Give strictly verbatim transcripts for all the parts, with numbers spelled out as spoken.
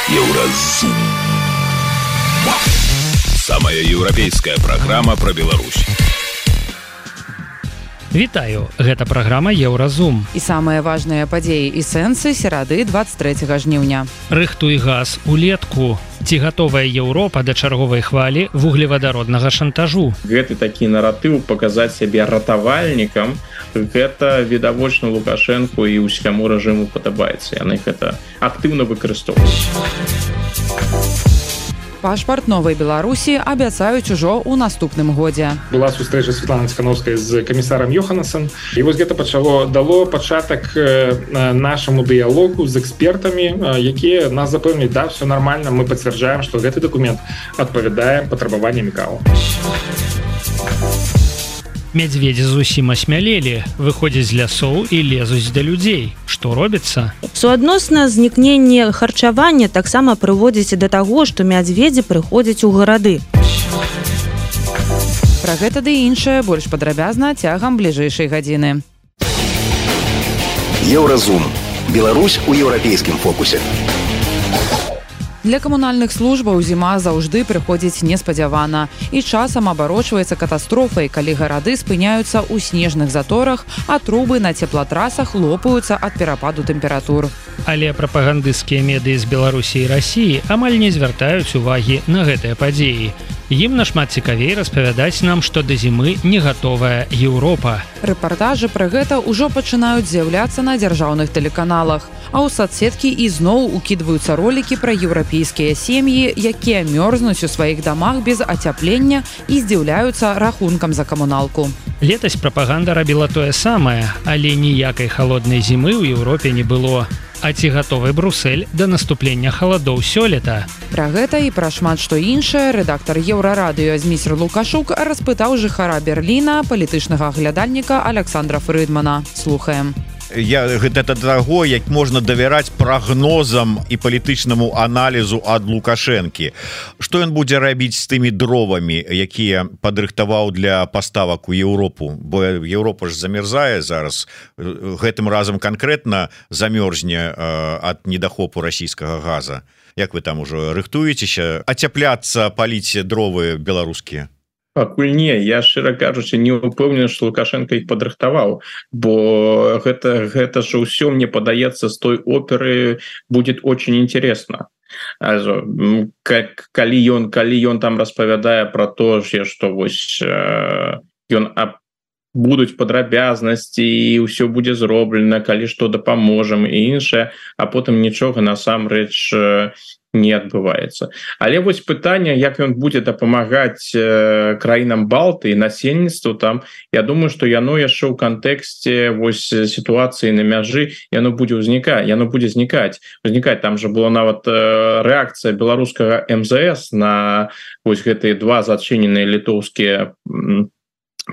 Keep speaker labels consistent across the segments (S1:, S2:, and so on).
S1: Еўразум. Самая еўрапейская праграма пра Беларусь.
S2: Вітаю, гэта праграма Еўразум.
S3: І самыя важныя падзеі і сэнсы серады двадцать трэцяга жніўня.
S2: Рыхтуй газ улетку. Ці гатовая Еўропа да чарговай хвалі вуглевадароднага шантажу?
S4: Гэты такі наратыў паказаць сябе ратавальнікам, гэта відавочна Лукашэнку і ўсяму рэжыму падабаецца. Яны гэта актыўна выкарыстоўваюць.
S3: Пашпарт новай Беларусі абяцаюць ужо ў наступным годзе.
S5: Была сустрэча Святланы Ціканаўскай з камісарам Йоханасен. І вось гэта пачало дало пачатак нашаму дыялогу з экспертамі, якія нас запэўнілі, да, все нормально, мы пацвярджаем, што гэты дакумент адпавядае патрабаванням КАО.
S2: Мядзведзі зусім асмялелі, выходзяць з лясоў і лезуць да людзей. Што робіцца?
S6: Суадносна знікненне харчавання таксама прыводзіць да таго, што мядзведзі прыходзяць у гарады.
S3: Пра гэта ды іншае больш падрабязна цягам бліжэйшай гадзіны.
S1: Еўразум. Беларусь у еўрапейскім фокусе.
S3: Для камунальных службаў зіма заўжды прыходзіць неспадзявана і часам абарочваецца катастрофай, калі гарады спыняюцца ў снежных заторах, а трубы на цеплатрасах лопаюцца ад перападу тэмператур.
S2: Але прапагандысцкія медыі з Беларусі і Расіі амаль не звяртаюць увагі на гэтыя падзеі. Ім нашмат цікавей распавядаць нам, што да зімы не гатовая Еўропа.
S3: Рэпартажы пра гэта ўжо пачынаюць з'яўляцца на дзяржаўных тэлеканалах, а ў сацсеткі ізноў укідваюцца ролікі пра еўрапейскія сем'і, якія мёрзнуць у сваіх дамах без ацяплення і здзіўляюцца рахункам за камуналку.
S2: Летась прапаганда рабіла тое самае, але ніякай халоднай зімы ў Еўропе не было. А ці гатовы Брусэль да наступлення халадоў сёлета?
S3: Пра гэта і пра шмат што іншае рэдактар Еўрарадыё Зміцер Лукашук распытаў жыхара Берліна, палітычнага аглядальніка Александра Фрыдмана. Слухаем.
S7: Я гэта таго, як можна давяраць прагнозам і палітычнаму аналізу ад Лукашэнкі. Што ён будзе рабіць з тымі дровамі, якія падрыхтаваў для паставак у Еўропу? Бо Еўропа ж замерзае зараз. Гэтым разам канкрэтна замёрзне ад недахопу расійскага газа. Як вы там ужо рыхтуецеся ацяпляцца, паліць дровы беларускія?
S4: Пакуль не, я шчыра кажучы не ўпэўнены, што Лукашенко іх падрыхтаваў, бо гэта, гэта ж ўсё, мне падаецца, з той оперы будет очень интересно. Also, калі ён, калі ён там распавядае пра то, што вось ён аб будуць падрабязнасці і ўсё будзе зроблена, калі што дапаможам і іншае, а потым нічога насамрэч не адбываецца. Але вось пытанне, як ён будзе дапамагаць э, краінам Балты і насельніцтву там, я думаю, што яно яшчэ ў кантэксце вось сітуацыі на мяжы яно будзе ўзнікаць, яно будзе знікаць. Узнікаць там жа была нават э, рэакцыя беларускага эм зэ эс на вось гэтыя два зачыненыя літоўскія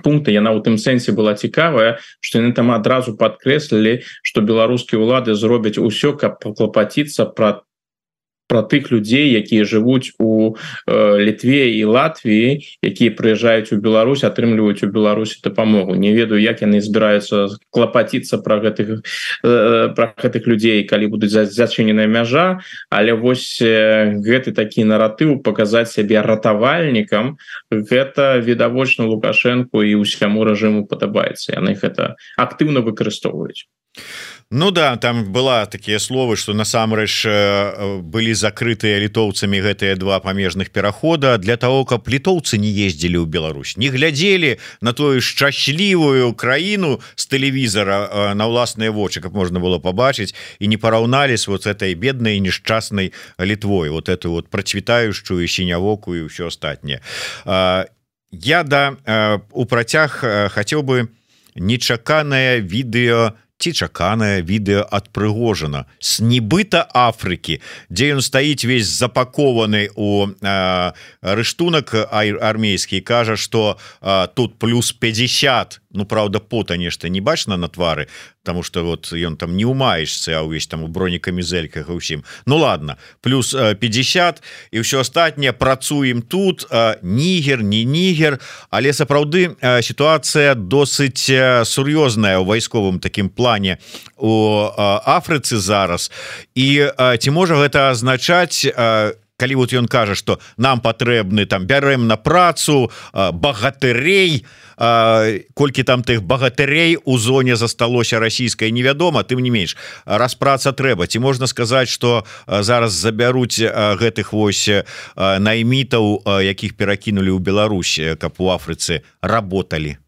S4: пункты. Яна ў тым сэнсе была цікавая, што яны там адразу падкрэслілі, што беларускія ўлады зробяць усё, каб паклапаціцца пра пра тых людзей, якія жывуць у э, Літве і Латвіі, якія прыязджаюць у Беларусь, атрымліваюць у Беларусі дапамогу. Не ведаю, як яны збіраюцца клапаціцца пра гэтых, э, пра гэтых людзей, калі будуць зачыненая мяжа, але вось э, гэты такі наратыў паказаць сябе ратавальнікам, гэта відавочна Лукашэнку і ўсяму рэжыму падабаецца. Яны гэта актыўна выкарыстоўваюць.
S7: Ну да, там была такія словы, што насамрэч былі закрытыя літоўцамі гэтыя два памежных перахода для того, каб літоўцы не ездзілі ў Беларусь, не глядзелі на тую шчаслівую краіну з тэлевізара на ўласныя вочы, каб можна было пабачыць, і не параўналі з вот этой беднай нешчаснай Літвой, вот эту вот працвітаючую сінявокую і ўсё астатняе. Я да у працяг хацеў бы нечаканае відэо ці чаканае відэа ад Прыгожына з нібыта Афрыкі, дзе ён стаіць весь запакованы у э, рыштунак армейскі, кажа, што э, тут плюс пятьдесят, ну, правда, пота нешта не бачна на твары, потому что вот ён там не умаешься, а увесь там у бронекамізэльках і ўсім. Ну ладно, плюс пятьдесят і ўсё астатняе працуем тут, нігер, не нігер, але сапраўды сітуацыя досыць сур'ёзная ў вайсковым такім плане у Афрыцы зараз. І ці можа гэта азначаць, калі вот ён кажа, што нам патрэбны там бярэм на працу багатырей, колькі там тых багатырей у зоне засталося расійскай невядома, тым не менш распраца трэба. Ці можна сказаць, што зараз забяруць гэтых вось наймітаў, якіх перакінулі ў Беларусь, каб у Афрыцы работалі?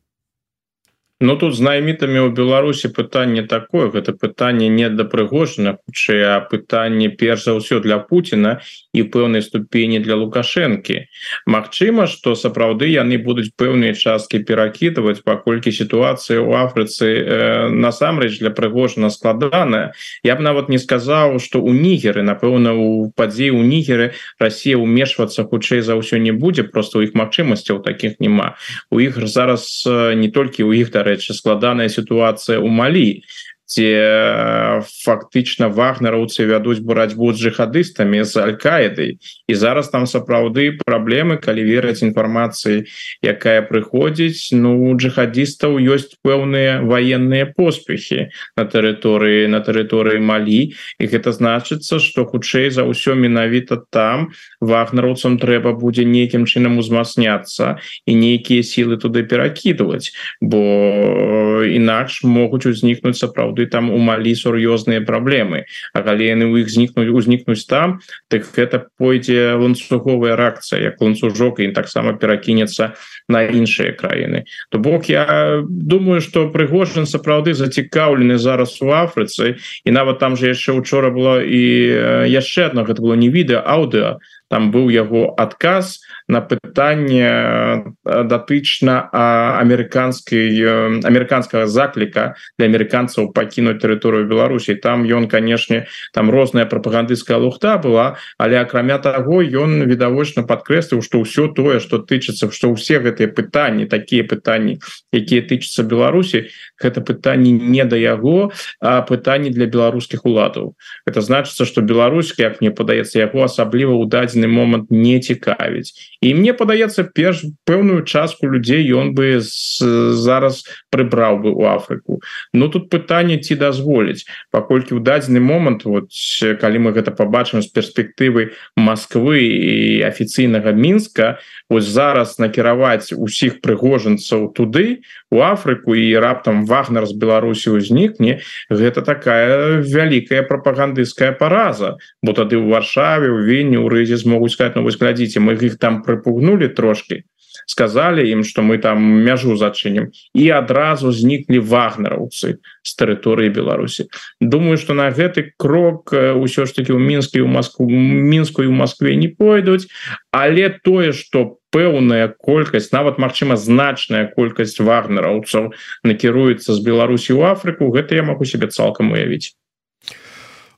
S4: Ну тут з наймітамі ў Беларусі пытанне такое, гэта пытанне не да Прыгожына, хутчэй, а пытанне перш за ўсё для Пуціна і пэўнай ступені для Лукашэнкі. Магчыма, што сапраўды яны будуць пэўныя часткі перакідваць, паколькі сітуацыя ў Афрыцы э, насамрэч для Прыгожына складаная. Я б нават не сказаў, што ў Нігеры, напэўна, у падзеі ў Нігеры Расія ўмешвацца хутчэй за ўсё не будзе, просто ў іх магчымасцяў такіх няма. У іх зараз не толькі ў іх, да рэчы, складаная сітуацыя ў Малі, дзе фактычна вагнераўцы вядуць барацьбу з джихадыстамі, з аль-Каідай, і зараз там сапраўды праблемы, калі верыць інфармацыі, якая прыходзіць. Ну, у джихадыстаў ёсць пэўныя ваенныя поспехі на тэрыторыі на тэрыторыі Малі, і гэта значыцца, што хутчэй за ўсё менавіта там вагнераўцам трэба будзе нейкім чынам узмацняцца і нейкія сілы туды перакідваць, бо інакш могуць узнікнуць сапраўды там у Малі сур'ёзныя праблемы. А калі яны ў іх знікнуць узнікнуць там, так гэта пойдзе ланцуговая рэакцыя, як ланцужок, і таксама перакінецца на іншыя краіны. То бок я думаю, што Прыгожин сапраўды зацікаўлены зараз у Афрыцы, і нават там же яшчэ учора было і яшчэ одно, гэта было не відэа, аўдыо. Там быў яго адказ на пытанне датычна амерыканскай амерыканскага закліка для амерыканцаў пакінуць тэрыторыю Беларусі. Там ён, канешне, там розная прапагандысцкая лухта была, але акрамя таго ён відавочна падкрэсліў, што ўсё тое, што тычыцца, што ўсе гэтыя пытанні, такія пытанні, якія тычацца Беларусі, гэта пытанні не да яго, а пытанні для беларускіх уладаў. Гэта значыцца, што Беларусь, як мне падаецца, яго асабліва ў дадзены момант не цікавіць. І мне падаецца, перш пэўную частку людзей ён бы з, зараз прыбраў бы ў Афрыку. Ну тут пытанне, ці дазволіць, паколькі ў дадзены момант, вот, калі мы гэта пабачым з перспектывы Масквы і афіцыйнага Мінска, вось зараз накіраваць усіх прыгожанцаў туды, у Афрыку, і раптам Вагнер з Беларусі ўзнікне, гэта такая вялікая прапагандысцкая параза, бо тады ў Варшаве, у Вільні, у Рызе змогуць сказаць: ну вось глядзіце, мы іх там прыпугнули трошки, сказали ім, што мы там мяжу зачынім, і адразу зніклі вагнераўцы з тэрыторыі Беларусі. Думаю, што на гэты крок ўсё ж таки ў Мінску і ў Москву, Мінску і ў Москве не пойдуць, але тое, што пэўная колькасць, нават магчыма значная колькасць вагнераўцаў накіруецца з Беларусі ў Афрыку, гэта я магу себе цалкам уявіць.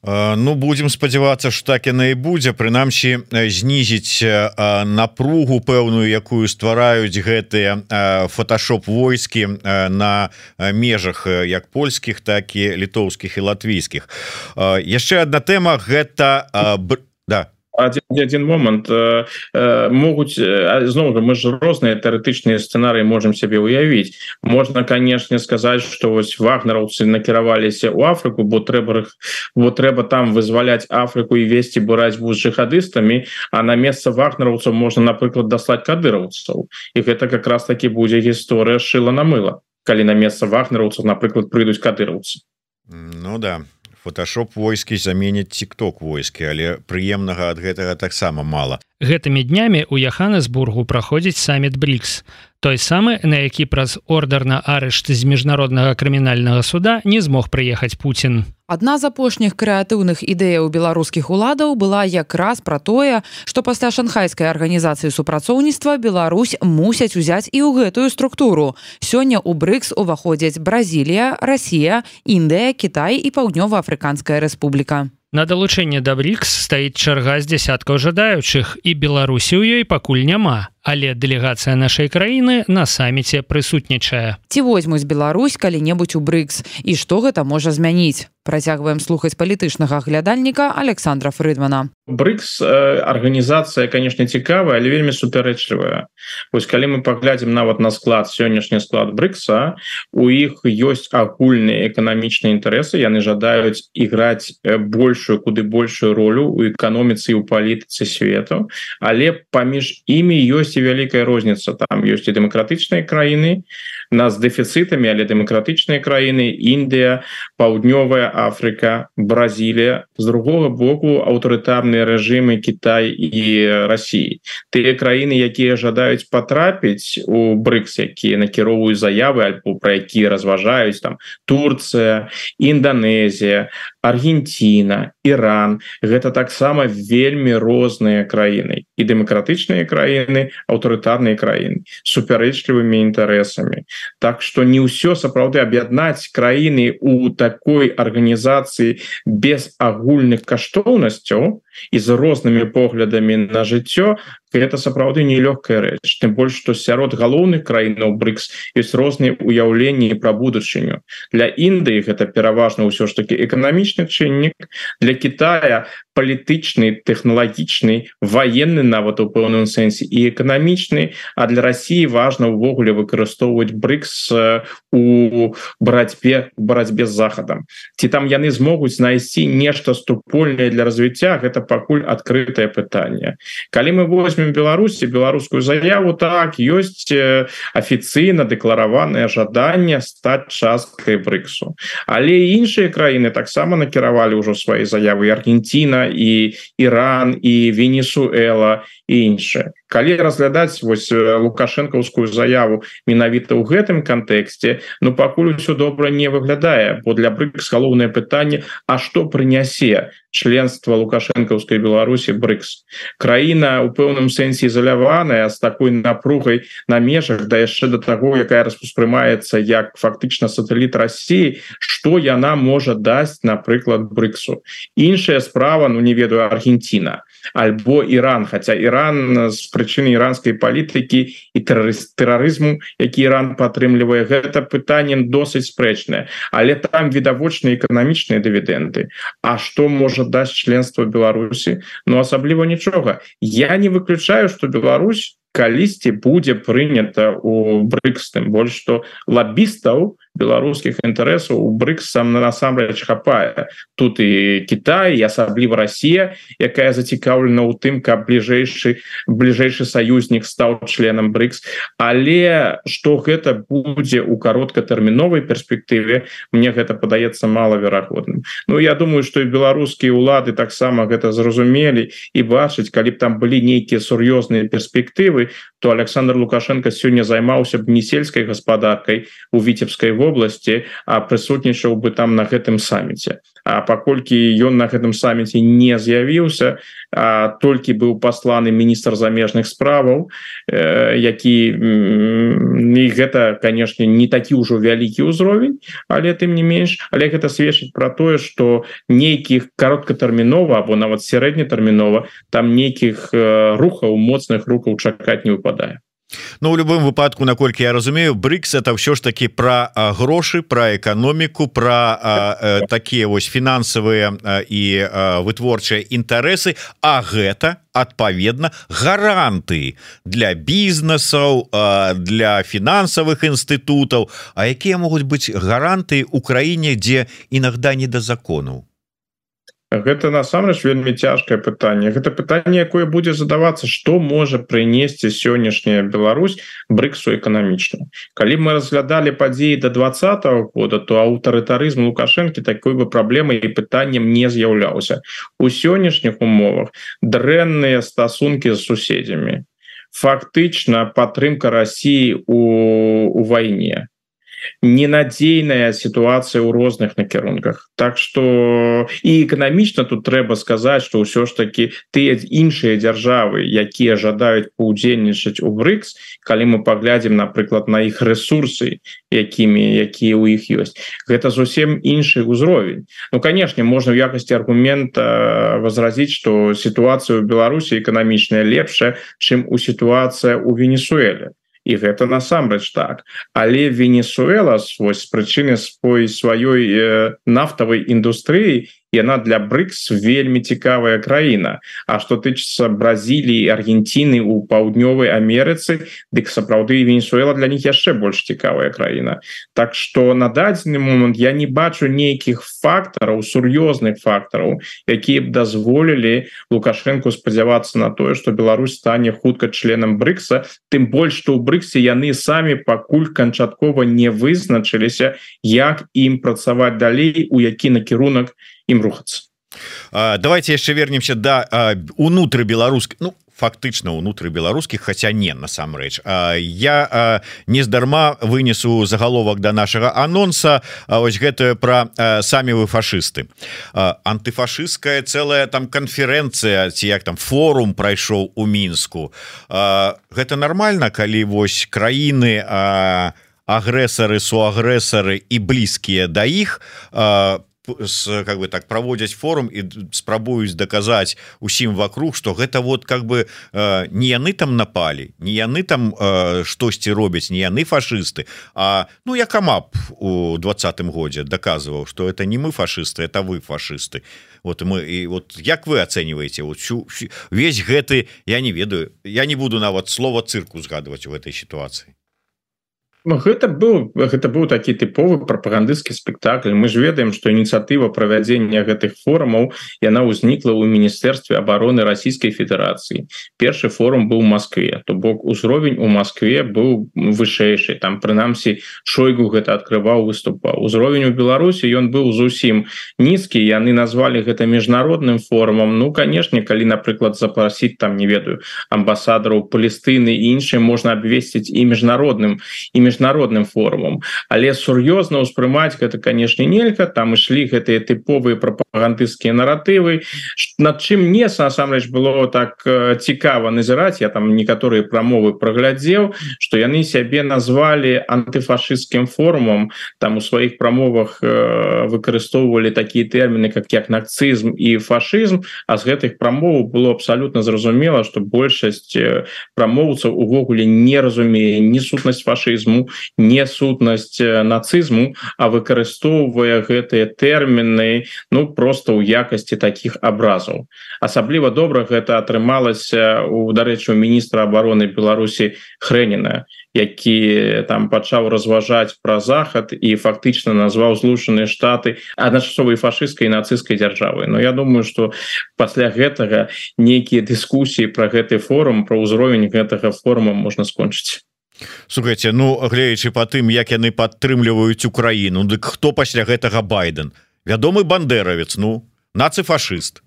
S7: Ну, будем спадзявацца, што так яна і будзе, прынамсі знізіць напругу пэўную, якую ствараюць гэтыя фотошоп войскі на межах як польскіх, так і літоўскіх і латвійскіх. Яшчэ одна тэма, гэта да.
S4: Один, один момант э, э, могуць зноў жа, мы ж розныя тэарэтычныя сцэнарыі можем сябе уявіць. Можна, канешне, сказаць, што вось вагнераўцы накіраваліся ў Афрыку, бо трэба бо трэба там вызваляць Афрыку і весці барацьбу з джихадыстамі, а на месца вагнераўцаў можна, напрыклад, даслаць кадыраўцаў. І гэта как раз таки будзе гісторыя шыла на мыла, калі на месца вагнераўцаў, напрыклад, прыйдуць кадыраўцы.
S7: Ну да. Фотошоп войскі заменяць тик-ток войскі, але прыемнага ад гэтага таксама мала.
S2: Гэтымі днямі ў Яханесбургу праходзіць саміт брикс, той самы, на які праз ордар на арышт з міжнароднага крымінальнага суда не змог прыехаць Пуцін.
S3: Адна з апошніх крэатыўных ідэяў беларускіх уладаў была якраз пра тое, што пасля шанхайскай арганізацыі супрацоўніцтва Беларусь мусяць узяць і ў гэтую структуру. Сёння ў брикс уваходзяць Бразілія, Расія, Індыя, Кітай і Паўднёва-Афрыканская рэспубліка.
S2: На далучэнне да брикс стаіць чарга з дзясяткаў жадаючых, і Беларусі ў ёй пакуль няма. але дэлегацыя нашай краіны на саміце прысутнічае.
S3: Ці возьмуць Беларусь калі-небудзь у брикс і што гэта можа змяніць? Працягваем слухаць палітычнага глядальніка Александра Фрыдмана.
S4: брикс арганізацыя, конечно, цікавая, але вельмі супярэчлівая. Вось калі мы паглядзім нават на склад, сённяшні склад брикса, у іх ёсць агульныя эканамічныя інтарэсы, яны жадаюць іграць большую, куды большую ролю у эканоміцы і ў палітыцы свету, але паміж імі ёсць і вялікая розніца. Там ёсць і дэмакратычныя краіны, нас дэфіцытамі, але дэмакратычныя краіны, Індыя, Паўднёвая Африка, Бразилия, з другого боку аўтарытарныя рэжымы Кітай і России. Тыя краіны, якія жадаюць патрапіць у брикс, якія накіроўваюць заявы альбо пра якія разважаюць, там Турцыя, Індонезія, Аргентина, Иран, гэта таксама вельмі розныя краіны, і дэмакратычныя краіны, аўтарытарныя краіны, супярэчлівымі інтарэсамі. Так што не ўсё сапраўды аб'яднаць краіны у такой арганізацыі без агульных каштоўнасцяў і з рознымі поглядамі на жыццё, гэта сапраўды нелёгкая рэч. Тым больш, што сярод галоўных краінаў брикс ёсць розныя ўяўленні пра будучыню. Для Індыі гэта пераважна ўсё ж такі эканамічны чыннік, для Китая палітычны, тэхналагічны, ваенны нават у пэўным сэнсе і эканамічны, а для России важна ўвогуле выкарыстоўваць брикс у барацьбе барацьбе з захадам. Ці там яны змогуць знайсці нешта супольнае для развіцця, гэта пакуль адкрытае пытанне. Калі мы возьмем Беларусі, беларускую заяву, так, ёсць афіцыйна дэклараванае жаданне стаць часткай бриксу. Але іншыя краіны таксама накіравалі ўжо свае заявы, Аргентина, і Іран, і Венесуэла, і іншыя. Калі разглядаць вось лукашэнкаўскую заяву менавіта ў гэтым кантэксце, ну пакуль усё добра не выглядае, бо для брикс галоўнае пытанне, а што прынясе членства лукашэнкаўскай Беларусі брикс? Краіна у пэўным сэнсе ізаляваная, з такой напругай на межах, да яшчэ да таго, якая распрымаецца як фактычна сатэліт России, што яна можа даць, напрыклад, бриксу? Іншая справа, ну не ведаю, Аргентина альбо Иран, хотя Иран з прычыны іранскай палітыкі і тэрарызму, які Иран падтрымлівае, гэта пытанне досыць спрэчнае, але там відавочныя эканамічныя дывідэнды. А што можа даць членства Беларусі? Ну асабліва нічога. Я не выключаю, што Беларусь калісьці будзе прынята у брикс, тым больш што лабістаў беларускіх інтарэсаў у брикс сам насамрэч хапае. Тут і Кітай, і асабліва Россия, якая зацікаўлена ў тым, каб бліжэйшы бліжэйшы саюзнік стаў членам брикс. Але што гэта будзе ў кароткатэрміновай перспектыве, мне гэта падаецца малаверагодным. Ну я думаю, што і беларускія ўлады таксама гэта зразумелі і бачаць, калі б там былі нейкія сур'ёзныя перспектывы, то Александр Лукашенко сёння займаўся б не сельскай гаспадаркай у Віцебскай вобласці, а прысутнічаў бы там на гэтым саміце. А паколькі ён на гэтым саміце не з'явіўся, а толькі быў пасланы міністр замежных справаў, э, які і гэта, канешне, не такі ўжо вялікі ўзровень, але тым не менш, але гэта сведчыць пра тое, што нейкіх кароткатэрмінова або нават сярэднетэрмінова там нейкіх э, рухаў, моцных рухаў чакаць не выпадае.
S7: Ну, у любым выпадку, наколькі я разумею, брикс это ўсё ж таки пра грошы, пра эканоміку, пра такія вось фінансавыя і вытворчыя інтарэсы, а гэта адпаведна гарантыі для бізнесаў, для фінансавых інстытутаў. А якія могуць быць гарантыі ў краіне, дзе інагда не да закону?
S4: Гэта насамрэч вельмі цяжкае пытанне. Гэта пытанне, якое будзе задавацца, што можа прынесці сённяшняя Беларусь бриксу эканамічна. Калі мы разглядалі падзеі да двадцатого года, то аўтарытарызм Лукашэнкі такой бы праблемай і пытаннем не з'яўляўся. У сённяшніх умовах дрэнныя стасункі з суседзямі, фактычна падтрымка России у, у вайне. ненадзейная сітуацыя ў розных накірунках. Так что і эканамічна тут трэба сказаць, што ўсё ж таки тыя іншыя дзяржавы, якія жадаюць паўдзельнічаць у брикс, калі мы паглядзім, напрыклад, на іх ресурсы, якімі якія ў іх ёсць, гэта зусім іншы ўзровень. Ну, конечно, можна ў якасці аргумента возразіць, што сітуацыя ў Беларусі эканамічная лепшая, чым у сітуацыя ў Венесуэле. І гэта насамрэч так. Але Венесуэла вось, з прычыны свой сваёй э, нафтавай індустрыі, яна для брикс вельмі цікавая краіна. А што тычыцца Бразіліі, Аргентины у паўднёвай Амерыцы, дык сапраўды Венесуэла для них яшчэ больш цікавая краіна. Так што на дадзены момант я не бачу нейкіх фактараў, сур'ёзных фактараў, якія б дазволілі Лукашенку спадзявацца на тое, што Беларусь стане хутка членам брикса, тым больш, што ў бриксе яны самі пакуль канчаткова не вызначыліся, як ім працаваць далей, у які накірунак ім рухацца.
S7: Давайте яшчэ вернемся да унутры беларускіх, ну фактычна унутры беларускіх, хаця не насамрэч. Я нездарма вынесу загаловак да нашага анонса, ось гэтае пра самі вы фашысты. Антыфашысцкая цэлая там канферэнцыя ці як там форум прайшоў у Мінску. Гэта нармальна, калі вось краіны агрэсары, суагрэсары і блізкія да іх с, как бы так проводять форум и спрабуюць доказать усім вокруг, что гэта вот как бы э, не яны там напали, не яны там э, штосьці робяць, не яны фашисты, а ну я Камап у двадцатым годзе доказывал, что это не мы фашисты, это вы фашисты. Вот мы и вот як вы оцениваете вот всю, весь гэты, я не ведаю, я не буду нават слова цирку згадывать в этой ситуации.
S4: Гэта быў гэта быў такі тыповы прапагандысцкі спектакль. Мы ж ведаем, што ініцыятыва правядзення гэтых форумаў яна ўзнікла ў міністэрстве абароны Расійскай Федэрацыі. Першы форум быў у Маскве, то бок узровень у Маскве быў вышэйшы, там прынамсі Шойгу гэта адкрываў, выступаў. Узровень у Беларусі ён быў зусім нізкі, яны назвалі гэта міжнародным форумам. Ну канешне, калі напрыклад запрасіць там не ведаю амбасадараў Палестыны і іншыя, можна абвесціць і міжнародным і міжнародным форумам, але сур'ёзна ўспрымаць гэта, канешне, нельга. Там ішлі гэтыя тыповыя прапагандысцкія наратывы, над чым мне насамрэч было так цікава назіраць. Я там некаторыя прамовы праглядзеў, што яны сябе назвалі антыфашысцкім форумам, там у сваіх прамовах выкарыстоўвалі такія тэрміны как як нацызм і фашызм, а з гэтых прамоваў было абсалютна зразумела, што большасць прамоўцаў увогуле не разумее ні сутнасць фашызму, не сутнасць нацызму, а выкарыстоўвае гэтыя тэрміны ну просто ў якасці такіх абразаў. Асабліва добра гэта атрымалася у, дарэчы, у міністра абароны Беларусі Хрэніна, які там пачаў разважаць пра захад і фактычна назваў Злучаныя Штаты адначасовай фашысцкай і нацысцкай дзяржавай. Но я думаю, што пасля гэтага нейкія дыскусіі пра гэты форум, пра ўзровень гэтага форума можна скончыць.
S7: Слухайте, ну гледзячы па тым, як яны падтрымліваюць Украіну, дык хто пасля гэтага Байден? Вядомы бандеравец, ну нацыфашыст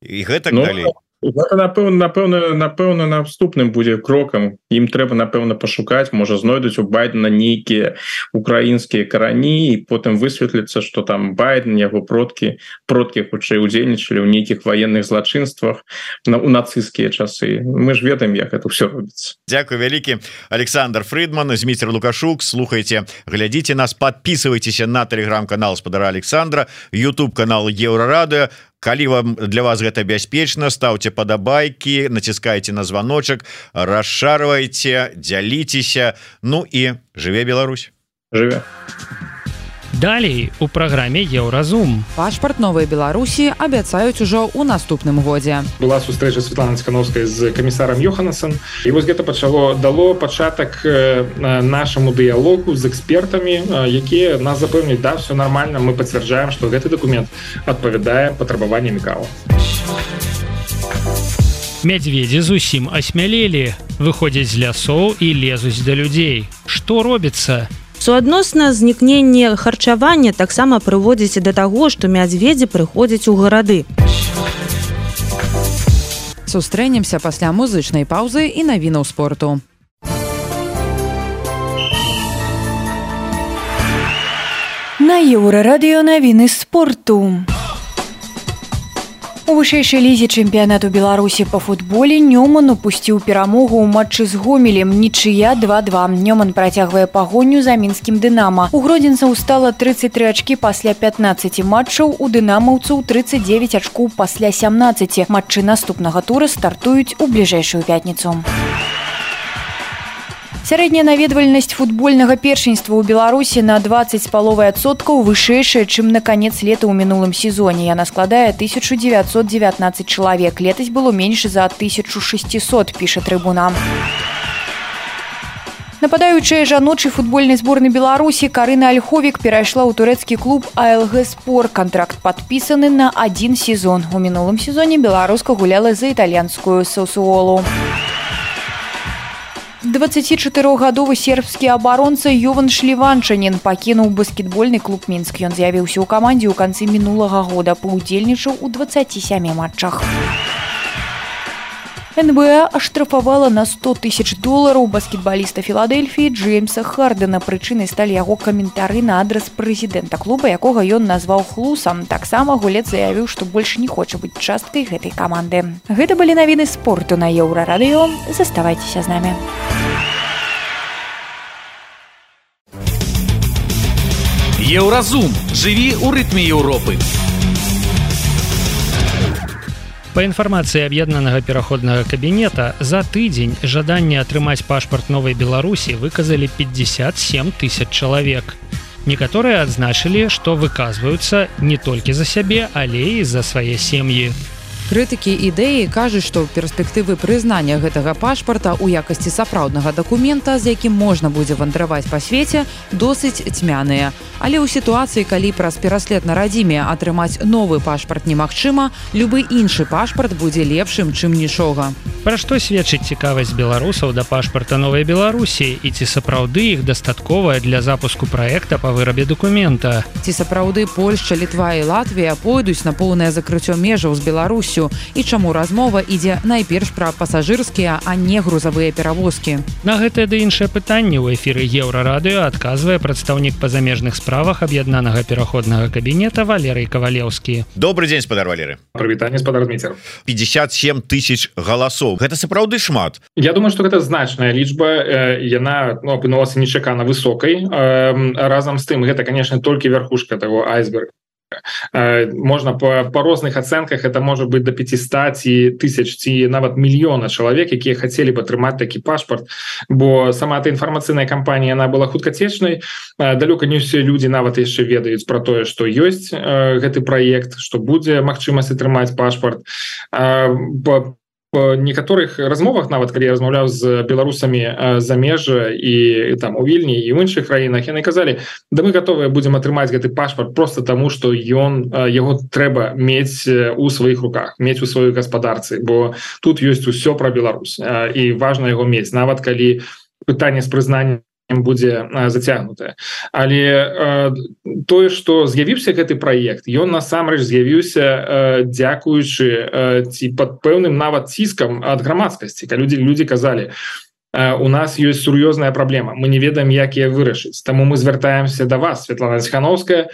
S7: і гэтак ну, далей.
S4: Гэта, напэўна, напэўна, напэўна, наступным будзе крокам. Ім трэба, напэўна, пашукаць, можа знойдуць у Байдена нейкія украінскія карані, і потым высветліцца, што там Байден, яго продкі, продкі хутчэй удзельнічалі ў нейкіх ваенных злачынствах на, у нацысцкія часы. Мы ж ведаем, як это ўсё робіцца.
S7: Дзякуй вялікі. Александр Фридман, Зміцер Лукашук. Слухайце, глядзіце нас, подписывайтеся на телеграм-канал спадара Александра, YouTube-канал Еўрарадыё. Калі вам для вас гэта бяспечна, ставьте падабайкі, націскайце на званочак, расшарвайце, дзяліцеся. Ну і жыве Беларусь.
S4: Жыве.
S2: Далей у праграме Еўразум.
S3: Пашпарт новай Беларусі абяцаюць ужо ў наступным годзе.
S5: Была сустрэча Светланы Цікановскай з камісарам Йоханасен, і вось гэта пачало дало пачатак нашаму дыялогу з экспертамі, якія нас запэўнюць, да, все нормально, мы пацвярджаем, што гэты дакумент адпавядае патрабаванням КАО.
S2: Мядзведзі зусім асмялелі, выходзяць з лясоў і лезуць да людзей. Што робіцца?
S6: Суадносна знікненне харчавання таксама прыводзіць да таго, што мядзведзі прыходзяць у гарады.
S3: Сустрэнемся пасля музычнай паўзы і навінаў спорту.
S8: На Еўрарадыё навіны спорту. У вышэйшай лізе чэмпіянату Беларусі па футболе Нёман упусціў перамогу ў матчы з Гомелем, нічыя два-два. Нёман працягвае пагоню за мінскім Дынама. У гродзенцаў стала трыццаць тры ачкі пасля пятнаццаці матчаў, у дынамаўцаў трыццаць дзевяць ачкоў пасля сямнаццаці. Матчы наступнага тура стартуюць у бліжэйшую пятніцу. Сярэдняя наведвальнасць футбольнага першынства ў Беларусі на дваццаць з паловай адсоткаў вышэйшая, чым на канец лета ў мінулым сезоне. Яна складае тысячу дзевяцьсот дзевятнаццаць чалавек. Летась было менш за тысячу шэсцьсот, піша Трыбуна. Нападаючая жаночай футбольнай зборнай Беларусі Карына Альховік перайшла ў турэцкі клуб АЛГ Спор. Кантракт падпісаны на адзін сезон. У мінулым сезоне беларуска гуляла за італьянскую Сасуолу. дваццацічатырохгадовы сербскі абаронца Йован Шліванчанін пакінуў баскетбольны клуб Мінск. Ён з'явіўся ў камандзе ў канцы мінулага года, паўдзельнічаў у дваццаці сямі матчах. эн бэ а аштрафавала на сто тысяч долараў баскетбаліста Філадельфіі Джеймса Хардена. Прычынай сталі яго каментары на адрас прэзідэнта клуба, якога ён назваў хлусам. Таксама гулец заявіў, што больш не хоча быць часткай гэтай каманды. Гэта былі навіны спорту на Еўрарадыё. Заставайцеся з намі.
S9: Еўразум. Жыві ў рытме Еўропы.
S2: Па інфармацыі аб'яднанага пераходнага кабінета, за тыдзень жаданне атрымаць пашпарт Новай Беларусі выказалі пятьдесят семь тысяч чалавек. Некаторыя адзначылі, што выказваюцца не толькі за сябе, але і за свае сем'і.
S3: Крытыкі ідэі кажуць, што перспектывы прызнання гэтага пашпарта ў якасці сапраўднага дакумента, з якім можна будзе вандраваць па свеце, досыць цьмяныя. Але ў сітуацыі, калі праз пераслед на радзіме атрымаць новы пашпарт немагчыма, любы іншы пашпарт будзе лепшым, чым нічога.
S2: Пра што сведчыць цікавасць беларусаў да пашпарта Новай Беларусі і ці сапраўды іх дастатковая для запуску праекта па вырабе дакумента?
S3: Ці сапраўды Польшча, Літва і Латвія пойдуць на поўнае закрыццё межаў з Беларусю? І чаму размова ідзе найперш пра пасажырскія, а не грузавыя перавозкі?
S2: На гэтае ды іншае пытанне ў эфіры Еўрарадыё адказвае прадстаўнік па замежных справах аб'яднанага пераходнага кабінета Валерый Кавалеўскі.
S7: Добрый дзень, спадар Валерый.
S5: Прывітанне, спадар Дміцер.
S7: пятьдесят семь тысяч галасоў. Гэта сапраўды шмат.
S5: Я думаю, што гэта значная лічба. Яна ну, апынулася нечакана высокай. Разам з тым, гэта, конечно, толькі верхушка таго айсберга. Можна по, по розных ацэнках это можа быць до пятьсот тысяч ці нават мільёна чалавек, якія хацелі б атрымаць такі пашпарт, бо сама эта інфармацыйная кампанія она была хуткацечнай. Далёка не ўсе людзі нават яшчэ ведаюць пра тое, што ёсць гэты праект, што будзе магчымасць атрымаць пашпарт. По По некаторых размовах, нават калі я размаўляў з беларусамі за межа і там у Вільні і ў іншых краінах, яны казалі, да мы готовыя будзем атрымаць гэты пашпарт просто таму, што ён яго трэба мець у сваіх руках, мець у сваёй гаспадарцы, бо тут ёсць усё пра Беларусь і важна яго мець, нават калі пытанне з прызнаннем будзе зацягнутае. Але э, тое, што з'явіўся гэты праект, ён насамрэч з'явіўся э, дзякуючы э, ці пад пэўным нават ціскам ад грамадскасці, калі людзі людзі казалі, э, у нас ёсць сур'ёзная праблема, мы не ведаем, як яе вырашыць, таму мы звяртаемся да вас, Светлана Ціхановская,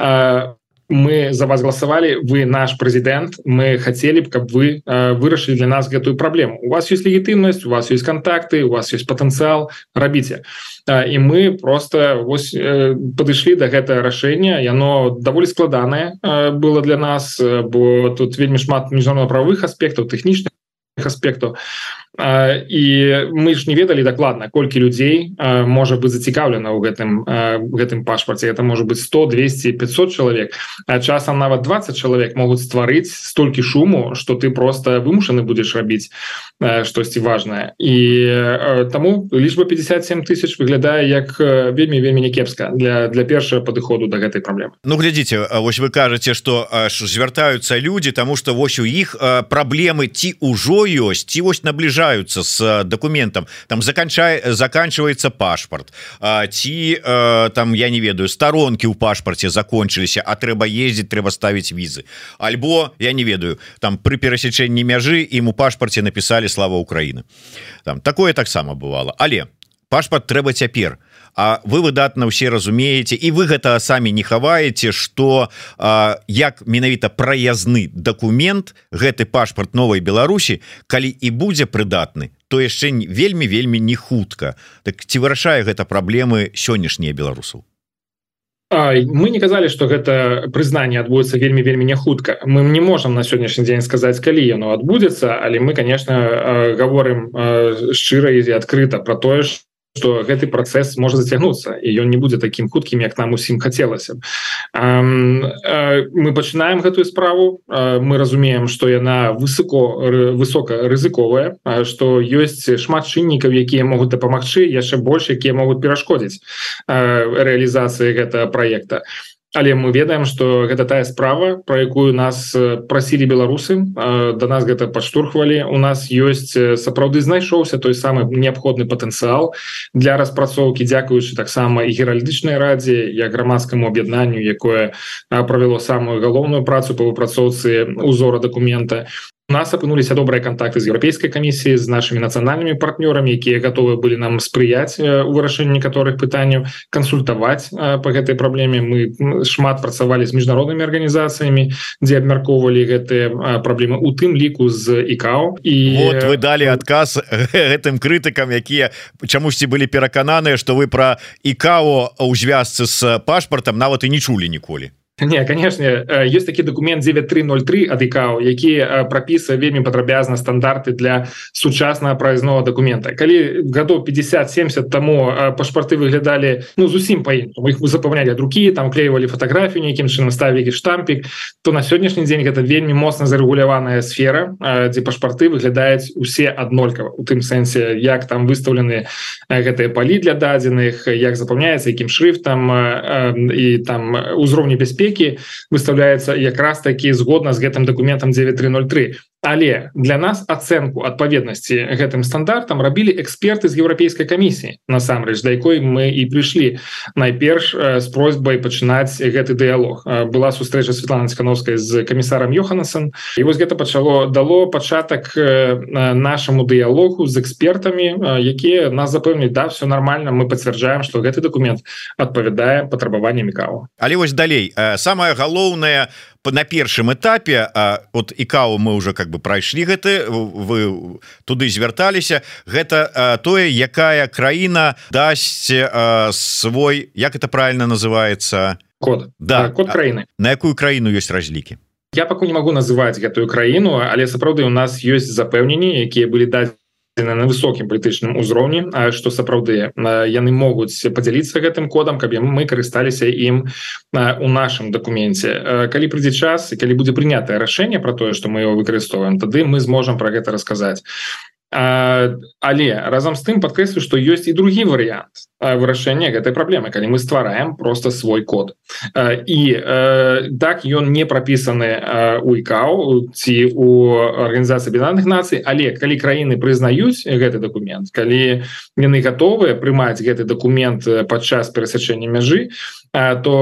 S5: э, мы за вас голосовали, вы наш президент, мы хотели бы, чтобы вы э, вырашили для нас эту проблему. У вас есть легитимность, у вас есть контакты, у вас есть потенциал, робите. Э, и мы просто вось, э, подошли до этого решения, и оно довольно складанное э, было для нас, э, бо тут вельмі шмат міжнародна-правовых аспектов, технічных аспектаў. І мы ж не ведалі дакладна, колькі людзей можа быць зацікаўлена ў гэтым гэтым пашпарце. Это можа быць сто, двести, пятьсот чалавек. А часам нават двадцать чалавек могуць стварыць столькі шуму, што ты просто вымушаны будзеш рабіць штосьці важнае. І таму лічба пятьдесят семь тысяч выглядае як вельмі вельмі някепска для для першага падыходу да гэтай праблемы.
S7: Ну глядзіце, вось вы кажаце, што звяртаюцца людзі, таму што вось у іх праблемы ці ўжо ёсць, ці вось набліжаюцца с документом, там заканчай, заканчивается пашпарт, ці там, я не ведаю, сторонки у пашпарте закончыліся, а трэба ездить, трэба ставить визы, альбо я не ведаю, там при перасечэнні мяжы ім у пашпарте написали слава Украина, там такое таксама бывало, але пашпарт трэба цяпер. А вы выдатна ўсе разумееце і вы гэта самі не хаваеце, што як менавіта праязны дакумент гэты пашпарт новай Беларусі, калі і будзе прыдатны, то яшчэ вельмі вельмі не хутка. Так ці вырашае гэта праблемы сённяшнія беларусаў?
S5: Мы не казалі, што гэта прызнанне адбудзецца вельмі вельмі не хутка. Мы не можам на сённяшні дзень сказаць, калі яно адбудзецца, але мы, конечно, гаворым шчыра і адкрыта пра тое, што гэты працэс можа зацягнуцца і ён не будзе такім хуткім, як нам усім хацелася б. Мы пачынаем гэтую справу, мы разумеем, што яна высоко высока рызыковая, што ёсць шмат чыннікаў, якія могуць дапамагчы, яшчэ больш, якія могуць перашкодзіць рэалізацыі гэтага праекта. Але мы ведаем, што гэта тая справа, пра якую нас прасілі беларусы, да нас гэта падштурхвалі. У нас ёсць сапраўды знайшоўся той самы неабходны патэнцыял для распрацоўкі, дзякуючы таксама і геральдычнай радзе, як грамадскаму аб'яднанню, якое правяло самую галоўную працу па выпрацоўцы узора дакумента. У нас апынуліся добрыя контакты з Еўрапейскай камісіяй, з нашымі нацыянальнымі партнёрамі, якія гатовы былі нам спрыяць у вырашэнні некаторых пытанняў, кансультаваць па гэтай праблеме. Мы шмат працавалі з міжнароднымі арганізацыямі, дзе абмяркоўвалі гэтыя праблемы, у тым ліку з ікао. І
S7: вот вы далі адказ гэтым крытыкам, якія чамусьці былі перакананыя, што вы пра ікао ў звязцы з пашпартам нават і не чулі ніколі.
S5: Не, конечно, ёсць такі документ девять три ноль три ад ікао, які прапісвае вельмі падрабязна стандарты для сучаснага праязнога дакумента. Калі гадоў пятьдесят семьдесят таму пашпарты выглядалі ну зусім па-іншаму, іх запаўнялі ад рукі, там клеівалі фатаграфію, нейкім чынам ставілі штампік, то на сённяшні дзень гэта вельмі моцна зарэгуляваная сфера, дзе пашпарты выглядаюць усе аднолькава, у тым сэнсе, як там выстаўлены гэтыя палі для дадзеных, як запаўняецца, якім шрыфтам і там узроўні бяспекі выставляецца якраз такі згодна з гэтым дакументам девять три ноль три. Але для нас ацэнку адпаведнасці гэтым стандартам рабілі эксперты з Еўрапейскай камісіі, насамрэч, да якой мы і прыйшлі найперш з просьбай пачынаць гэты дыялог. Была сустрэча Светланы Цікановскай з камісарам Йоханнесен, і вось гэта пачало дало пачатак нашаму дыялогу з экспертамі, якія нас запэўнілі, да, все нормально, мы пацвярджаем, што гэты дакумент адпавядае патрабаванням ікао.
S7: Але вось далей, самае галоўнае на першым этапе, от ікао мы уже как бы прайшлі гэты, вы туды звярталіся, гэта тое, якая краіна дасць свой, як это правильно называется,
S5: код,
S7: да,
S5: код краіны.
S7: На якую краіну ёсць разлікі?
S5: Я пакуль не магу называць гэтую краіну, але сапраўды у нас ёсць запэўненні, якія былі дадзены на высокім палітычным узроўні, што сапраўды яны могуць падзяліцца гэтым кодам, каб мы карысталіся ім у нашым дакуменце. Калі прыйдзе час і калі будзе прынятае рашэнне пра тое, што мы его выкарыстоўваем, тады мы зможам пра гэта расказаць. Але разам з тым падкрэслю, што ёсць і другі варыянт вырашэння гэтай праблемы, калі мы ствараем просто свой код. І так ён не прапісаны у ікао ці у Арганізацыі Аб'яднаных Нацый, але калі краіны прызнаюць гэты дакумент, калі яны гатовыя прымаць гэты дакумент падчас перасячэння мяжы, то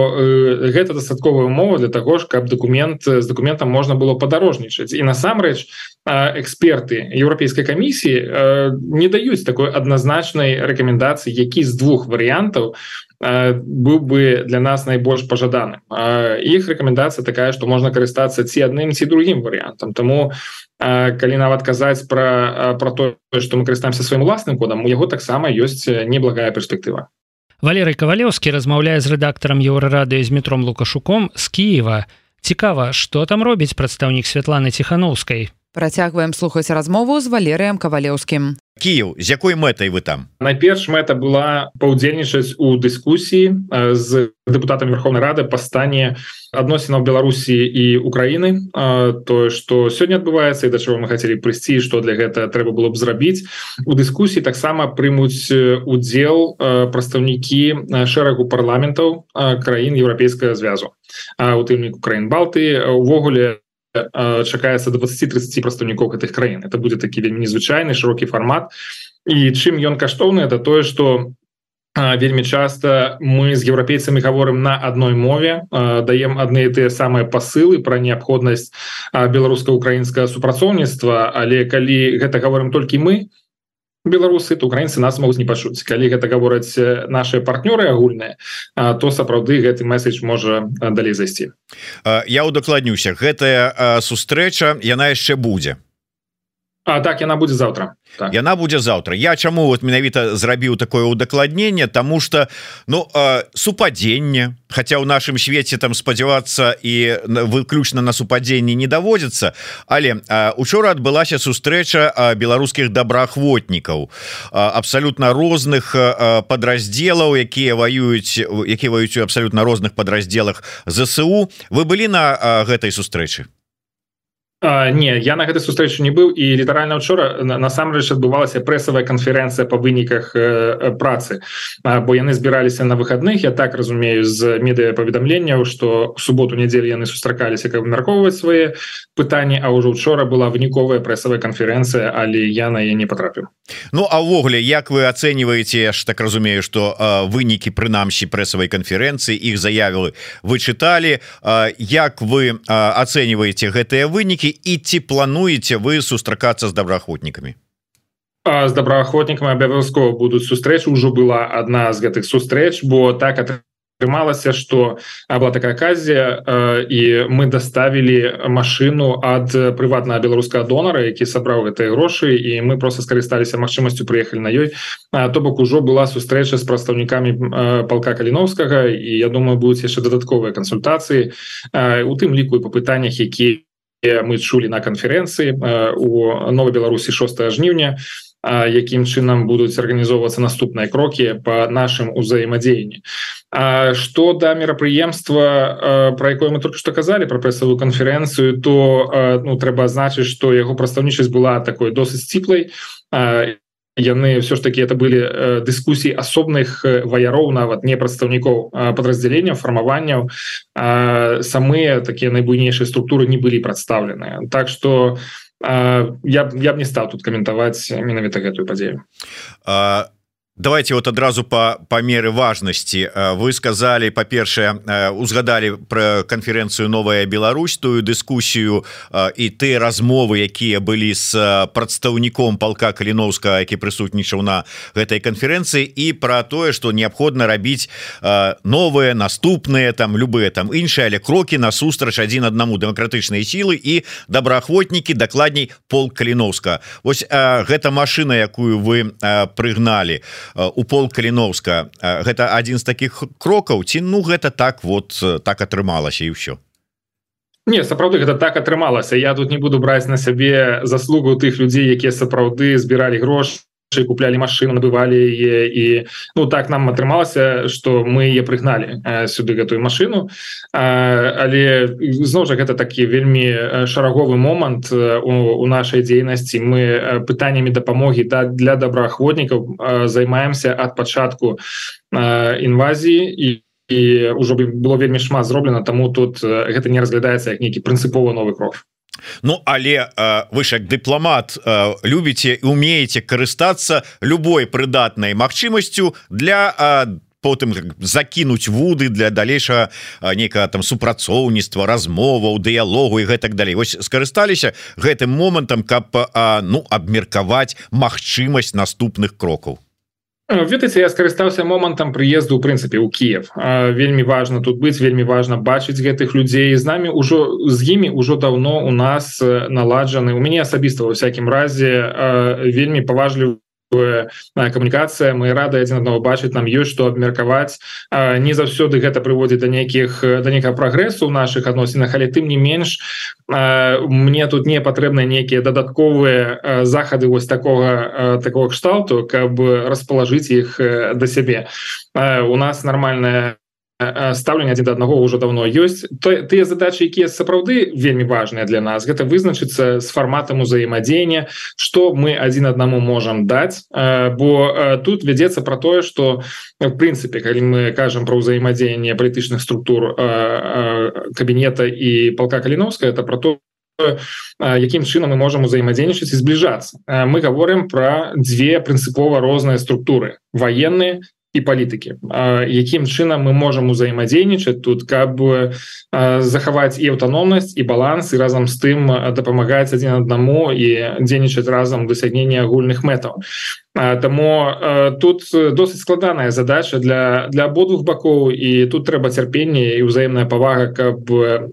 S5: гэта дастатковая умова для таго ж, каб дакумент з дакументам можна было падарожнічаць. І насамрэч эксперты Еўрапейскай камісіі не даюць такой адназначнай рэкамендацыі, які з двух варыянтаў быў бы для нас найбольш пажаданым. Іх рэкамендацыя такая, што можна карыстацца ці адным, ці другім варыянтам. Таму калі нават казаць пра, пра тое, што мы карыстаемся сваім уласным кодам, у яго таксама ёсць неблагая перспектыва.
S2: Валерый Кавалеўскі размаўляе з рэдактарам Еўрарадыё з Дмітром Лукашуком з Кіева. Цікава, што там робіць прадстаўнік Святланы Ціханаўскай?
S3: Працягваем слухаць размову з Валерыем Кавалеўскім.
S7: Кіев, з якой мэтай вы там?
S5: Найперш мэта была паўдзельнічаць у дыскусіі з дэпутатамі Верховнай Рады па стане адносінаў Беларусі і Украіны, тое, што сёння адбываецца і да чаго мы хацелі прыйсці, што для гэтага трэба было б зрабіць. У дыскусіі таксама прымуць удзел прадстаўнікі шэрагу парламентаў краін Еўрапейскага звязу, у тым ліку краін Балтыі. Увогуле чакаецца двадцать-тридцать прадстаўнікоў гэтых краін. Это будзе такі вельмі незвычайны шырокі фармат. І чым ён каштоўны, это тое, што вельмі часта мы з еўрапейцамі гаворым на адной мове, даем адны і тыя самыя пасылы пра неабходнасць беларуска-украінскага супрацоўніцтва, але калі гэта гаворым толькі мы, беларусы, то украінцы нас могуць не пачуць. Калі гэта гавораць наши партнёры агульныя, то сапраўды гэты месседж можа далей зайсці.
S7: Я удакладнюся, гэтая сустрэча яна яшчэ будзе.
S5: А так яна будзе заўтра. Так.
S7: Яна будзе заўтра. Я чаму вот менавіта зрабіў такое удакладненне, тому что ну супадзенне, хотя ў нашым свеце там спадзявацца і выключна на супадзенні не даводзіцца, але учора адбылася сустрэча беларускіх добраахвотнікаў абсалютна розных падраздзелаў, якія ваююць якія ваююць у абсалютна розных падраздзелах ЗСУ. Вы былі на гэтай сустрэчы?
S5: А, не, я на гэтай сустрэчы не быў, і літаральна учора насамрэч адбывалася прэсавая канферэнцыя па выніках э, працы, а, бо яны збіраліся на выхадных. Я так разумею з медыапаведамленняў, што ў суботу-нядзелю яны сустракаліся, каб абмяркоўваць свае пытанні, а ўжо учора была выніковая прэсавая канферэнцыя, але я на яе не патрапіў.
S7: Ну а ўвогуле, як вы ацэньваеце, я ж так разумею, што э, вынікі прынамсі прэсавай канферэнцыі, іх заявы вы чыталі, э, як вы э, ацэньваеце гэтыя вынікі і ці плануеце вы сустракацца з добраахвотнікамі?
S5: З добраахвотнікамі абавязкова будуць сустрэчы. Ужо была адна з гэтых сустрэч, бо так атрымалася, што была такая аказія, і мы даставілі машыну ад прыватнага беларускага донара, які сабраў гэтыя грошы, і мы просто скарысталіся магчымасцю, прыехалі на ёй. То бок ужо была сустрэча з прадстаўнікамі палка Каліновскага, і я думаю, будуць яшчэ дадатковыя кансультацыі, у тым ліку і па пытаннях, якія мы чулі на канферэнцыі у Новай Беларусі шостага жніўня, якім чынам будуць арганізоўвацца наступныя крокі па нашым узаемадзеянні. Што да мерапрыемства, пра якое мы только што казалі, пра прэсавую канферэнцыю, то ну, трэба адзначыць, што яго прадстаўнічасць была такой досыць сціплай. Яны все ж таки это были э, дыскусіі асобных ваяроў, нават не прадстаўнікоў э, падраздзяленняў, фармаванняў. Э, самыя такія найбуйнейшыя структуры не былі прадстаўленыя. Так што э, я, я б не стаў тут каментаваць менавіта гэтую падзею.
S7: А... Давайте вот адразу по, по меры важности. Вы сказали, по-першае, узгадали про конференцию «Новая Беларусь», тую дискуссию и те размовы, якія были с прадстаўніком полка Каліновскага, які присутнічаў на этой конференции, и про тое, что необходимо рабіць новые, наступные, там, любые там іншыя, але кроки насустрач один одному демократычныя силы и добраахвотнікі, дакладней полк Каліновскага. Вось гэта машина, якую вы прыгнали у полк Каліновска, гэта один з таких крокаў, ці ну гэта так вот так атрымалася і ўсё?
S5: Не, сапраўды гэта так атрымалася. Я тут не буду браць на сябе заслугу тых людзей, якія сапраўды збіралі грошы, куплялі машыну, набывалі яе, і ну так нам атрымалася, што мы яе прыгналі э, сюды гэтую машыну. э, але зноў жа гэта такі вельмі шараговы момант э, у, у нашай дзейнасці. Мы э, пытаннямі дапамогі да, для добраахвотнікаў э, займаемся ад пачатку э, інвазіі, і і ўжо было вельмі шмат зроблена, таму тут э, гэта не разглядаецца як нейкі прынцыпова новы крок.
S7: Ну але э, вы ж як дыпламат э, любіце і умееце карыстацца любой прыдатнай магчымасцю для э, потым закінуць вуды для далейшага нейкага там супрацоўніцтва, размоваў, дыялогу і гэтак далей. Вось скарысталіся гэтым момантам, каб э, ну абмеркаваць магчымасць наступных крокаў.
S5: Ведаеце, я скарыстаўся момантам прыезду ў прынцыпе ў Кіев. Вельмі важна тут быць, вельмі важна бачыць гэтых людзей. З намі ўжо з імі ўжо даўно у нас наладжаны, у мяне асабіста ва ўсякім разе вельмі паважлівы камунікацыя. Мы рады адзін аднаго бачыць, нам ёсць што абмеркаваць. Не заўсёды гэта прыводзіць да нейкіх да нейкага прагрэсу ў нашых адносінах, але тым не менш мне тут не патрэбныя нейкія дадатковыя захады вось такога такого кшталту, каб распалажыць іх да сябе. У нас нармальная стаўленне адзін да аднаго ўжо давно ёсць. Тыя задачы, якія сапраўды вельмі важныя для нас, гэта вызначыцца з фарматам узаемадзеяння, што мы адзін аднаму можам даць, бо тут вядзецца пра тое, што в прынцыпе, калі мы кажам пра ўзаемадзеянне палітычных структур кабінета і палка Каліновскага, это пра то, якім чынам мы можам узаемадзейнічаць і збліжацца. Мы гаворым пра дзве прынцыпова розныя структуры: ваенныя і палітыкі. Якім чынам мы можам узаемадзейнічаць тут, каб захаваць і аўтаномнасць, і баланс, і разам з тым дапамагаць адзін аднаму і дзейнічаць разам дасягнення агульных мэтаў. Таму тут досыць складаная задача для, для абодвух бакоў, і тут трэба цярпенне і ўзаемная павага, каб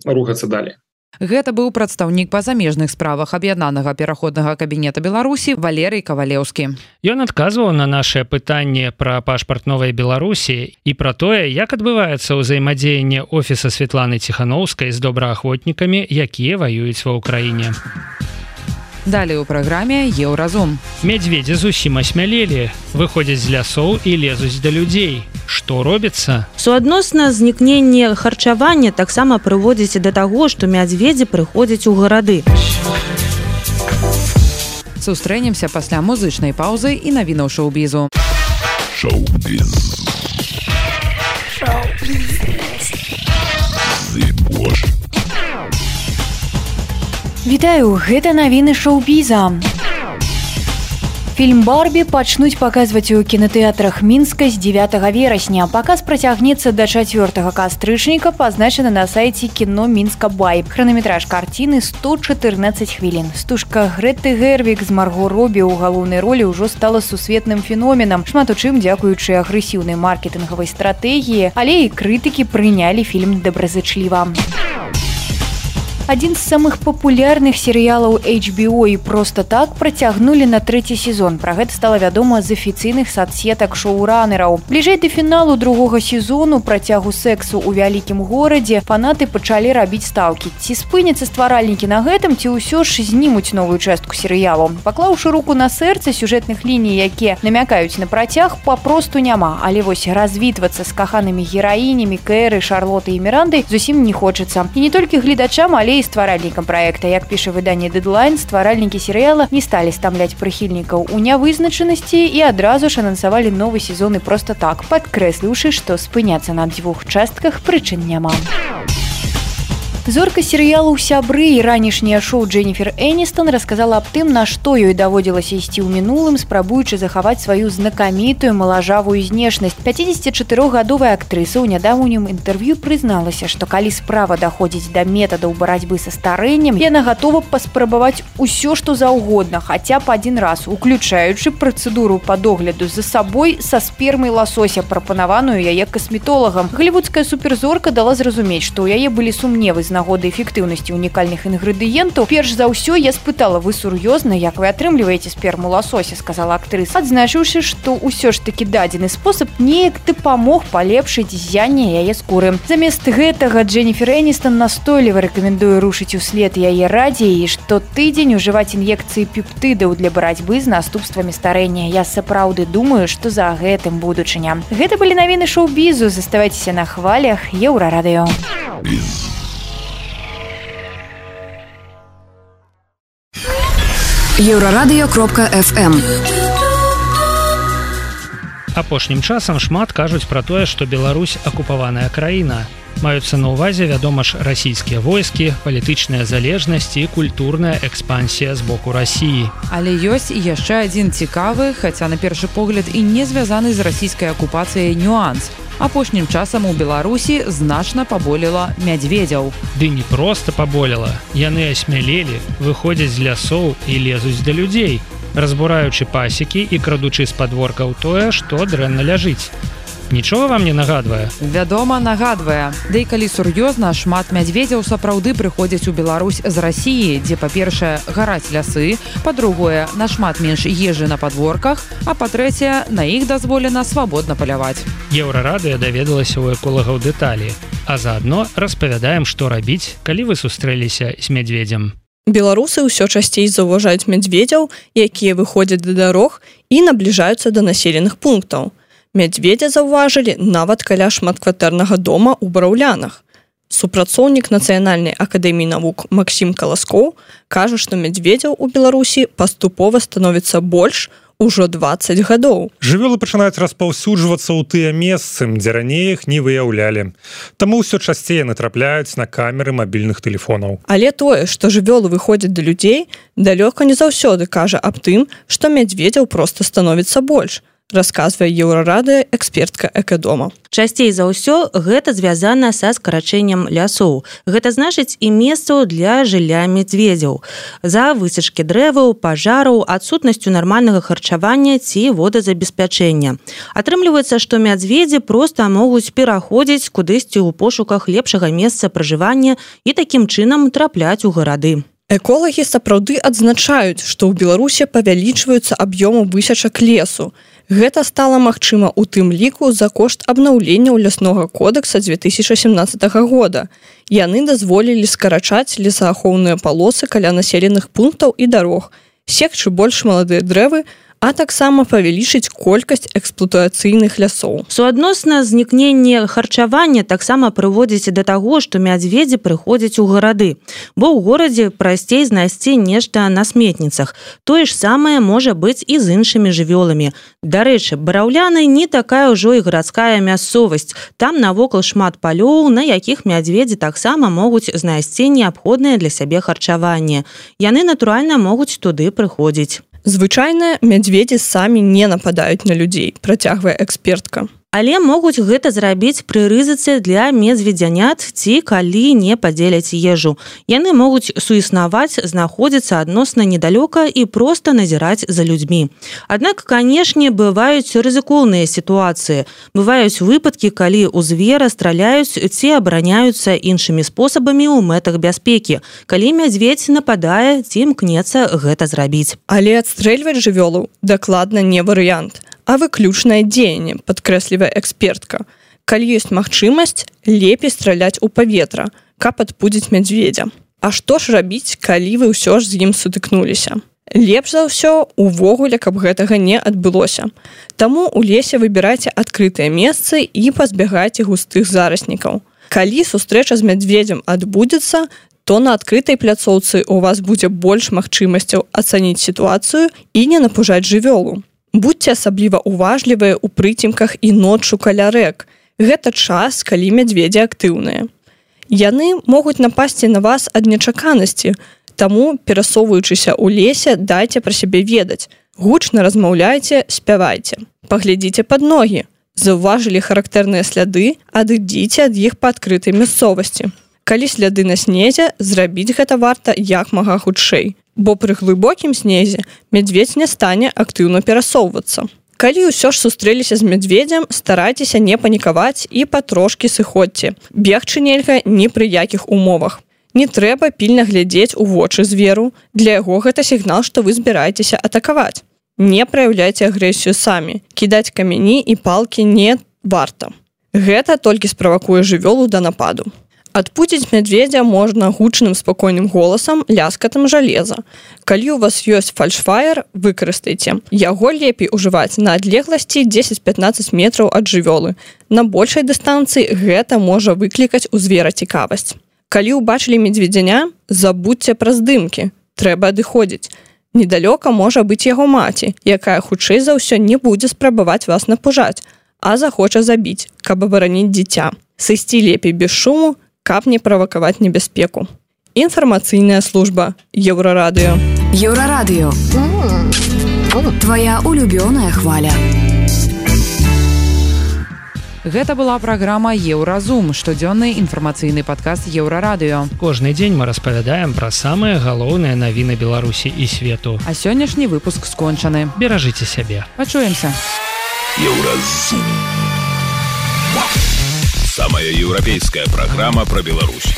S5: рухацца далей.
S3: Гэта быў прадстаўнік па замежных справах аб'яднанага пераходнага кабінета Беларусі Валерый Кавалеўскі.
S2: Ён адказваў на нашае пытанне пра пашпарт новай Беларусі і пра тое, як адбываецца ўзаемадзеянне офіса Светланы Ціханаўскай з добраахвотнікамі, якія ваююць ва ўкраіне.
S3: Далей у праграме Еўразум.
S2: Мядзведзі зусім асмялелі, выходзяць з лясоў і лезуць да людзей. Што робіцца?
S6: Суадносна знікненне харчавання таксама прыводзіць да таго, што мядзведзі прыходзяць у гарады.
S3: Сустрэнемся пасля музычнай паўзы і навінаў шоу-бізу.
S1: Шоу-біз. Шоу-біз.
S8: Вітаю, гэта навіны шоу-біза. Фільм «Барбі» пачнуць паказваць у кінатэатрах Мінска з дзевятага верасня. Паказ працягнецца да чацвёртага кастрычніка, пазначаны на сайце кіно Мінска Байб. Хранаметраж карціны сто чатырнаццаць хвілін. Стужка Грэты Гервік з Марго Робі ў галоўнай ролі ўжо стала сусветным феноменам, шмат у чым дзякуючы агрэсіўнай маркетынгавай стратэгіі, але і крытыкі прынялі фільм добразычліва. Адзін з самых папулярных серыялаў эйч би о і «Просто так» працягнулі на трэці сезон. Пра гэта стала вядома з афіцыйных садсетак шоуранераў. Бліжэй да фіналу другога сезону працягу сексу ў вялікім горадзе фанаты пачалі рабіць стаўкі. Ці спыняцца стваральнікі на гэтым, ці ўсё ж знімуць новую частку серыялу. Паклаўшы руку на сэрца, сюжэтных ліній, якія намякаюць на працяг, папросту няма. Але вось развітвацца з каханымі гераінямі Кэры, Шарлоты і Мірандай зусім не хочацца. І не толькі гледачам, але і стваральнікам праекта. Як піша выданне «Дэдлайн», стваральнікі серыяла не сталі стамляць прыхільнікаў у нявызначанасці і адразу ж анансавалі новы сезон і «Просто так», падкрэсліўшы, што спыняцца на дзвюх частках прычын няма. Зорка серыялу «Сябры» і ранішняе шоу Дженніфер Эністон расказала аб тым, на што ёй даводзілася ісці ў мінулым, спрабуючы захаваць сваю знакамітую малажавую знешнасць. пяцідзесятчатырохгадовая актрыса ў нядаўнім інтэрв'ю прызналася, што калі справа даходзіць да метадаў барацьбы са старэннем, яна гатова паспрабаваць усё, што заўгодна, хаця б адзін раз, уключаючы працэдуру па догляду за сабой са спермай ласося, прапанаваную яе касметолагам. Голливудская суперзорка дала зразумець, што ў яе былі сумневы з нагоды эфектыўнасці унікальных інгрэдыентаў. Перш за ўсё я спытала: вы сур'ёзна, як вы атрымліваеце сперму ласося, сказала актрыса, адзначыўшы, што ўсё ж такі дадзены спосаб неяк дапамог палепшыць ззянне яе скуры. Замест гэтага Дженніфер Эністон настойліва рэкамендуе рушыць услед яе радзе і штотыдзень ужываць ін'екцыі пептыдаў для барацьбы з наступствамі старэння. Я сапраўды думаю, што за гэтым будучыня. Гэта былі навіны шоу-бізу. Заставайцеся на хвалях Еўрарадыё.
S10: еўрарадыё кропка эф эм.
S2: Апошнім часам шмат кажуць пра тое, што Беларусь акупаваная краіна. Маюцца на ўвазе, вядома ж, расійскія войскі, палітычная залежнасць і культурная экспансія з боку Расіі.
S3: Але ёсць і яшчэ адзін цікавы, хаця на першы погляд і не звязаны з расійскай акупацыяй нюанс. Апошнім часам у Беларусі значна паболела мядзведзяў.
S2: Ды не проста паболела. Яны асмялелі, выходзяць з лясоў і лезуць да людзей, разбураючы пасекі і крадучы з падворкаў тое, што дрэнна ляжыць. Нічога вам не нагадвае?
S3: Вядома, нагадвае. Да і калі сур'ёзна, шмат мядзведзяў сапраўды прыходзяць у Беларусь з Расіі, дзе, па-першае, гараць лясы, па-другое, нашмат менш ежы на падворках, а па-трэцяе, на іх дазволена свабодна паляваць.
S2: Еўрарадыё даведалася ў эколагаў дэталі, а заадно распавядаем, што рабіць, калі вы сустрэліся з мядзведзем.
S11: Беларусы ўсё часцей заўважаюць мядзведзяў, якія выходзяць да дарог і набліжаюцца да населеных пунктаў. Мядзведзя заўважылі нават каля шматкватэрнага дома ў Браўлянах. Супрацоўнік Нацыянальнай акадэміі навук Максім Каласкоў кажа, што мядзведзяў у Беларусі паступова становіцца больш ужо дваццаць гадоў.
S12: Жывёлы пачынаюць распаўсюджвацца ў тыя месцы, дзе раней іх не выяўлялі. Таму ўсё часцей натрапляюць на камеры мабільных тэлефонаў.
S11: Але тое, што жывёлы выходзяць да людзей, далёка не заўсёды кажа аб тым, што мядзведзяў проста становіцца больш. расказвае еўрарады экспертка экадома.
S6: Часцей за ўсё гэта звязана са скарачэннем лясоў. Гэта значыць і месцаў для жылля медведзяў. За высечкі дрэваў, пажараў, адсутнасцю нармальнага харчавання ці водазабеспячэння. Атрымліваецца, што мядзведзі проста могуць пераходзіць кудысьці ў пошуках лепшага месца пражывання і такім чынам трапляць у гарады.
S11: Эколагі сапраўды адзначаюць, што ў Беларусі павялічваюцца аб'ёмы высечак лесу. Гэта стала магчыма ў тым ліку за кошт абнаўленняў ляснога кодекса дзве тысячы сямнаццатага года. Яны дазволілі скарачаць лесаахоўныя палосы каля населеных пунктаў і дарог, секчы больш маладыя дрэвы, а таксама павялічыць колькасць эксплуатацыйных лясоў.
S6: Суадносна знікненне харчавання таксама прыводзіць да таго, што мядзведзі прыходзяць у гарады, бо ў горадзе прасцей знайсці нешта на сметніцах. Тое ж самае можа быць і з іншымі жывёламі. Дарэчы, Бараўляны не такая ўжо і гарадская мясцовасць. Там навокал шмат палёў, на якіх мядзведзі таксама могуць знайсці неабходнае для сябе харчаванне. Яны, натуральна, могуць туды прыходзіць.
S11: Звычайна, мядзведзі самі не нападаюць на людзей, працягвае экспертка.
S6: Але могуць гэта зрабіць пры рызыцы для медведзянят ці калі не падзеляць ежу. Яны могуць суіснаваць, знаходзіцца адносна недалёка і проста назіраць за людзьмі. Аднак, канешне, бываюць рызыкоўныя сітуацыі. Бываюць выпадкі, калі ў звера страляюць ці абараняюцца іншымі спосабамі ў мэтах бяспекі, калі мядзведзь нападае ці імкнецца гэта зрабіць.
S11: Але адстрэльваць жывёлу дакладна не варыянт, а выключнае дзеянне, падкрэслівае экспертка. Калі ёсць магчымасць, лепей страляць у паветра, каб адпудзіць мядзведзя. А што ж рабіць, калі вы ўсё ж з ім сутыкнуліся? Лепш за ўсё увогуле, каб гэтага не адбылося. Таму ў лесе выбірайце адкрытыя месцы і пазбягайце густых зараснікаў. Калі сустрэча з мядзведзем адбудзецца, то на адкрытай пляцоўцы у вас будзе больш магчымасцяў ацаніць сітуацыю і не напужаць жывёлу. Будьце асабліва уважлівыя ў прыцемках і ноччу каля рэк. Гэта час, калі мядзведзі актыўныя. Яны могуць напасці на вас ад нечаканасці, таму, перасоўваючыся ў лесе, дайце пра сябе ведаць. Гучна размаўляйце, спявайце. Паглядзіце пад ногі. Заўважылі характэрныя сляды, адыдзіце ад іх па адкрытай мясцовасці. Калі сляды на снезе, зрабіць гэта варта як мага хутчэй, бо пры глыбокім снезе мядзведзь не стане актыўна перасоўвацца. Калі ўсё ж сустрэліся з мядзведзем, старайцеся не панікаваць і патрошкі сыходзьце. Бегчы нельга ні пры якіх умовах. Не трэба пільна глядзець у вочы зверу, для яго гэта сігнал, што вы збіраецеся атакаваць. Не праяўляйце агрэсію самі, кідаць камяні і палкі не варта. Гэта толькі справакуе жывёлу да нападу. Адпудзіць мядзведзя можна гучным спакойным голасам, ляскатам жалеза. Калі у вас ёсць фальшфаер, выкарыстайце. Яго лепей ужываць на адлегласці дзесяць-пятнаццаць метраў ад жывёлы. На большай дыстанцыі гэта можа выклікаць у звера цікавасць. Калі ўбачылі медведзяня, забудзьце пра здымкі. Трэба адыходзіць. Недалёка можа быць яго маці, якая хутчэй за ўсё не будзе спрабаваць вас напужаць, а захоча забіць, каб абараніць дзіця. Сысці лепей без шуму, каб не правакаваць небяспеку. Інфармацыйная служба Еўрарадыё.
S10: Еўрарадыё. Твая улюбёная хваля.
S3: Гэта была праграма Еўразум, штодзённы інфармацыйны падкаст Еўрарадыё.
S2: Кожны дзень мы распавядаем пра самыя галоўныя навіны Беларусі і свету.
S3: А сённяшні выпуск скончаны.
S2: Беражыце сябе.
S3: Пачуемся.
S1: Еўразум. Самая еўрапейская программа про Беларусь.